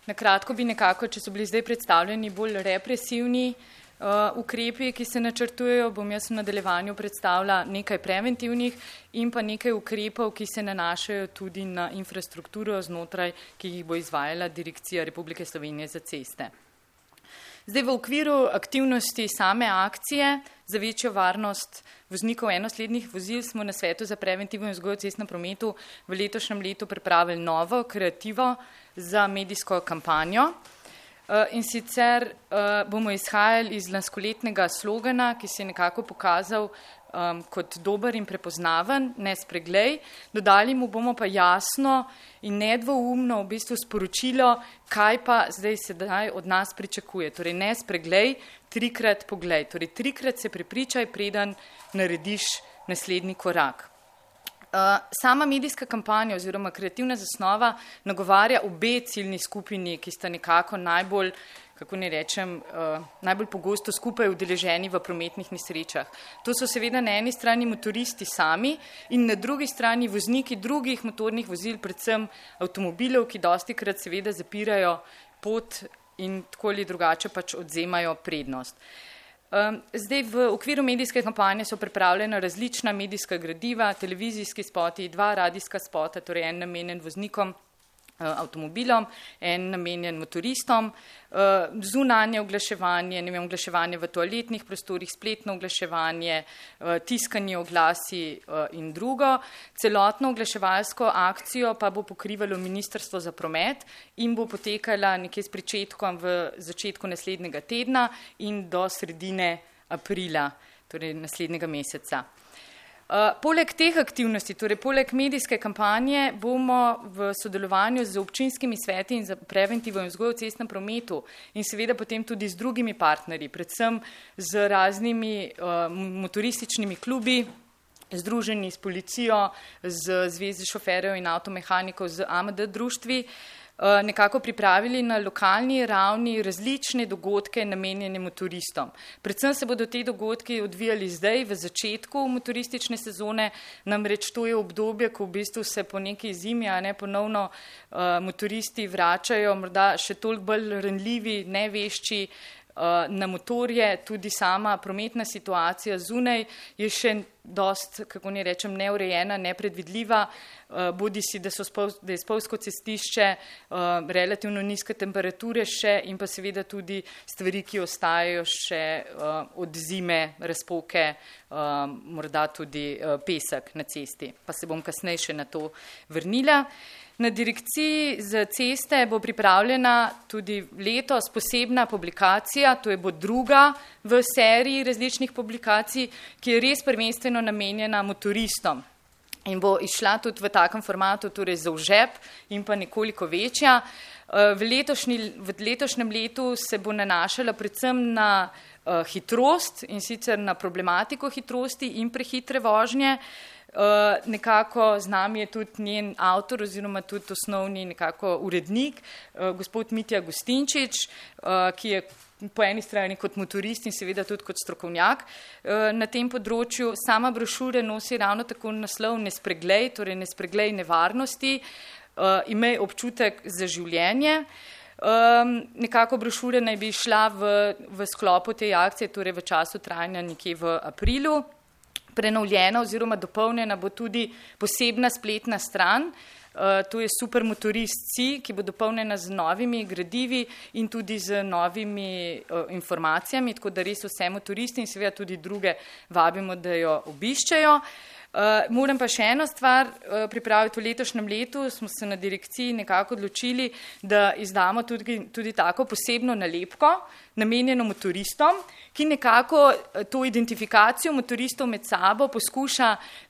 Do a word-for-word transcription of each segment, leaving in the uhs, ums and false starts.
Na kratko bi nekako, če so bili zdaj predstavljeni bolj represivni uh, ukrepi, ki se načrtujejo, bom jaz v nadaljevanju predstavila nekaj preventivnih in pa nekaj ukrepov, ki se nanašajo tudi na infrastrukturo znotraj, ki jih bo izvajala Direkcija Republike Slovenije za ceste. Zdaj v okviru aktivnosti same akcije za večjo varnost voznikov enoslednih vozil smo na Svetu za preventivo in vzgojo v cestnem prometu v letošnjem letu pripravili novo kreativo za medijsko kampanjo. In sicer bomo izhajali iz lanskoletnega slogana, ki se je nekako pokazal um, kot dober in prepoznaven, ne spreglej. Dodali mu bomo pa jasno in nedvoumno v bistvu sporočilo, kaj pa zdaj sedaj od nas pričakuje. Torej ne spreglej, trikrat poglej. Torej trikrat se prepričaj, preden narediš naslednji korak. Uh, sama medijska kampanja oziroma kreativna zasnova nagovarja obe ciljni skupini, ki sta nekako najbolj, kako ne rečem, uh, najbolj pogosto skupaj udeleženi v prometnih nesrečah. To so seveda na eni strani motoristi sami in na drugi strani vozniki drugih motornih vozil, predvsem avtomobilov, ki dostikrat seveda zapirajo pot in tako ali drugače pač odzemajo prednost. Zdaj v okviru medijske kampanje so pripravljena različna medijska gradiva, televizijski spoti, dva radijska spota, torej en namenjen voznikom, avtomobilom, en namenjen motoristom, zunanje oglaševanje, ne vem, oglaševanje v toaletnih prostorih, spletno oglaševanje, tiskanje oglasi in drugo. Celotno oglaševalsko akcijo pa bo pokrivalo Ministrstvo za promet in bo potekala nekje s pričetkom v začetku naslednjega tedna in do sredine aprila, torej naslednjega meseca. Uh, poleg teh aktivnosti, torej poleg medijske kampanje, bomo v sodelovanju z občinskimi sveti in za preventivo in vzgojo v cestnem prometu in seveda potem tudi z drugimi partnerji, predvsem z raznimi uh, motorističnimi klubi, združeni s policijo, z Zvezi šoferjev in avtomehanikov, z A M D društvi, nekako pripravili na lokalni ravni različne dogodke namenjene motoristom. Predvsem se bodo te dogodki odvijali zdaj v začetku motoristične sezone, namreč to je obdobje, ko v bistvu se po neki zimi, a ne ponovno uh, motoristi vračajo, morda še toliko bolj ranljivi, nevešči uh, na motorje, tudi sama prometna situacija zunaj je še dost, kako ne rečem, neurejena, nepredvidljiva, uh, bodi si, da, so spol, da je spolsko cestišče, uh, relativno nizke temperature še in pa seveda tudi stvari, ki ostajajo še uh, od zime, razpoke, uh, morda tudi uh, pesek na cesti. Pa se bom kasneje še na to vrnila. Na Direkciji za ceste bo pripravljena tudi letos posebna publikacija, to je bo druga v seriji različnih publikacij, ki je res prvenstveno namenjena motoristom in bo išla tudi v takem formatu, torej za vžep in pa nekoliko večja. V, letošnji, v letošnjem letu se bo nanašala predvsem na uh, hitrost in sicer na problematiko hitrosti in prehitre vožnje. Uh, nekako z nami je tudi njen avtor oziroma tudi osnovni nekako urednik, uh, gospod Mitja Gustinčič, uh, ki je po eni strani kot motorist in seveda tudi kot strokovnjak uh, na tem področju. Sama brošura nosi ravno tako naslov Ne spreglej, torej ne spreglej nevarnosti, uh, imej občutek za življenje. Um, nekako brošura naj bi šla v, v sklopu te akcije, torej v času trajanja nekje v aprilu. Prenovljena oziroma dopolnjena bo tudi posebna spletna stran, uh, to je Supermotorist C, ki bo dopolnjena z novimi gradivi in tudi z novimi uh, informacijami, tako da res vse motoristi in seveda tudi druge vabimo, da jo obiščejo. Uh, moram pa še eno stvar uh, pripraviti. V letošnjem letu smo se na direkciji nekako odločili, da izdamo tudi, tudi tako posebno nalepko, namenjeno motoristom, ki nekako to identifikacijo motoristov med sabo poskuša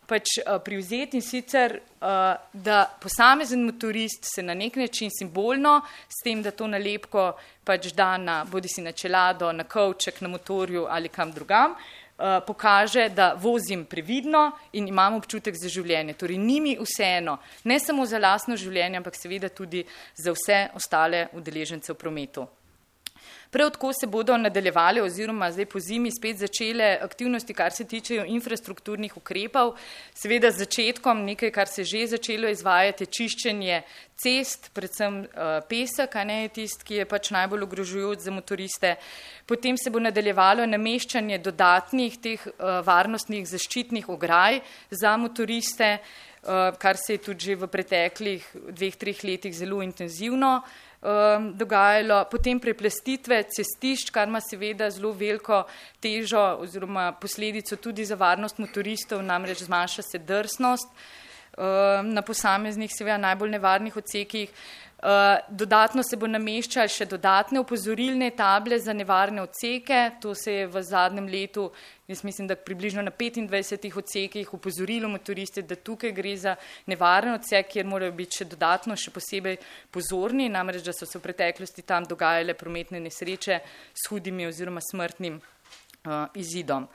pač uh, privzeti in sicer, uh, da posamezen motorist se na nek način simbolno, s tem, da to nalepko pač da na, bodi si na čelado, na kovček, na motorju ali kam drugam, Uh, pokaže, da vozim previdno in imam občutek za življenje. Torej, ni mi vseeno, ne samo za lastno življenje, ampak seveda tudi za vse ostale udeležence v prometu. Prav tako se bodo nadaljevale oziroma zdaj po zimi spet začele aktivnosti, kar se tičejo infrastrukturnih ukrepov. Seveda z začetkom nekaj, kar se že začelo izvajati, je čiščenje cest, predvsem uh, pesek, a ne je tist, ki je pač najbolj ogrožujoč za motoriste. Potem se bo nadaljevalo nameščanje dodatnih teh uh, varnostnih zaščitnih ograj za motoriste, uh, kar se je tudi že v preteklih dveh, treh letih zelo intenzivno Um, dogajalo, potem preplastitve cestišč, kar ima seveda zelo veliko težo oziroma posledico tudi za varnost motoristov, namreč zmanjša se drsnost um, na posameznih seveda najbolj nevarnih odsekih. Uh, dodatno se bo nameščali še dodatne opozorilne table za nevarne odseke, to se je v zadnjem letu, jaz mislim, da približno na petindvajsetih odsekih opozorilo motoriste, da tukaj gre za nevaren odsek, kjer morajo biti še dodatno, še posebej pozorni, namreč, da so se v preteklosti tam dogajale prometne nesreče s hudimi oziroma smrtnim uh, izidom.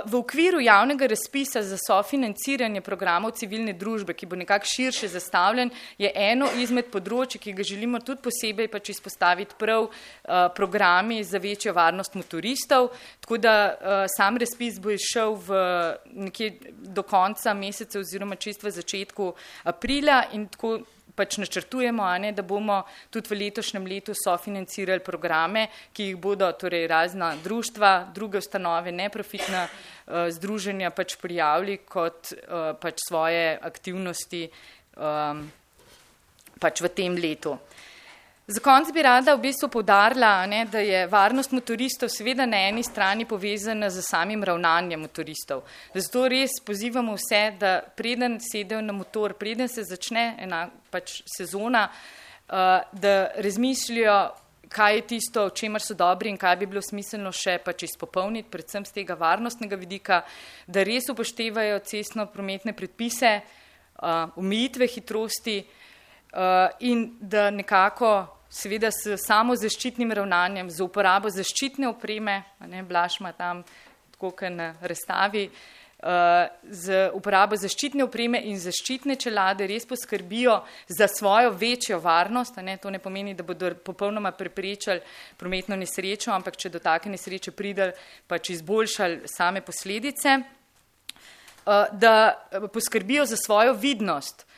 V okviru javnega razpisa za sofinanciranje programov civilne družbe, ki bo nekako širše zastavljen, je eno izmed področij, ki ga želimo tudi posebej pač izpostaviti prav programi za večjo varnost motoristov, tako da sam razpis bo išel v nekje do konca meseca oziroma čisto v začetku aprila in tako pač načrtujemo, a ne, da bomo tudi v letošnjem letu sofinancirali programe, ki jih bodo torej razna društva, druge ustanove, neprofitna uh, združenja pač prijavili kot uh, pač svoje aktivnosti um, pač v tem letu. Za konec bi rada v bistvu poudarila, ne, da je varnost motoristov seveda na eni strani povezana z samim ravnanjem motoristov. Zato res pozivamo vse, da preden sedejo na motor, preden se začne ena pač sezona, uh, da razmišljajo, kaj je tisto, v čemer so dobri in kaj bi bilo smiselno še pač izpopolniti, predvsem z tega varnostnega vidika, da res upoštevajo cestno-prometne predpise, uh, omejitve hitrosti uh, in da nekako seveda s samo zaščitnim ravnanjem, z uporabo zaščitne opreme, ne, Blaž ima tam tako kot na razstavi, uh, z uporabo zaščitne opreme in zaščitne čelade res poskrbijo za svojo večjo varnost. Ne, to ne pomeni, da bodo popolnoma preprečali prometno nesrečo, ampak če do take nesreče pride, pač izboljšali same posledice, uh, da poskrbijo za svojo vidnost. Uh,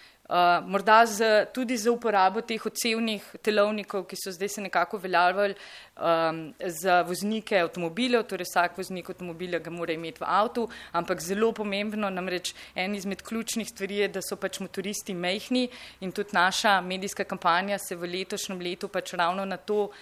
morda z, tudi za uporabo teh odsevnih telovnikov, ki so zdaj se nekako uveljavljali um, za voznike avtomobilov, torej vsak voznik avtomobila ga mora imeti v avtu, ampak zelo pomembno, namreč en izmed ključnih stvari je, da so pač motoristi majhni in tudi naša medijska kampanja se v letošnjem letu pač ravno na to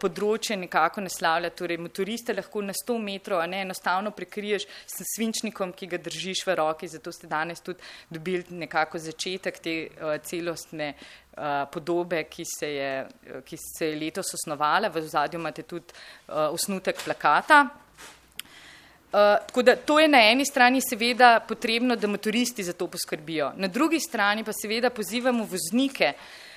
področje nekako naslavlja, torej motoriste lahko na sto metrov, a ne enostavno prekriješ s svinčnikom, ki ga držiš v roki, zato ste danes tudi dobili nekako začetek te uh, celostne uh, podobe, ki se, je, ki se je letos osnovala, v ozadju imate tudi uh, osnutek plakata. Uh, tako da to je na eni strani seveda potrebno, da motoristi za to poskrbijo. Na drugi strani pa seveda pozivamo voznike,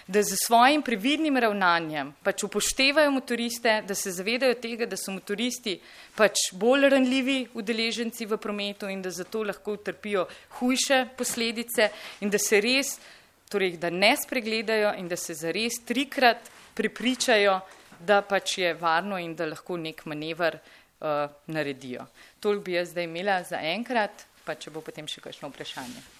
da z svojim previdnim ravnanjem pač upoštevajo motoriste, da se zavedajo tega, da so motoristi pač bolj ranljivi udeleženci v prometu in da zato lahko utrpijo hujše posledice in da se res, torej da ne spregledajo in da se zares trikrat prepričajo, da pač je varno in da lahko nek manever uh, naredijo. Toliko bi jaz zdaj imela za enkrat, pa če bo potem še kakšno vprašanje.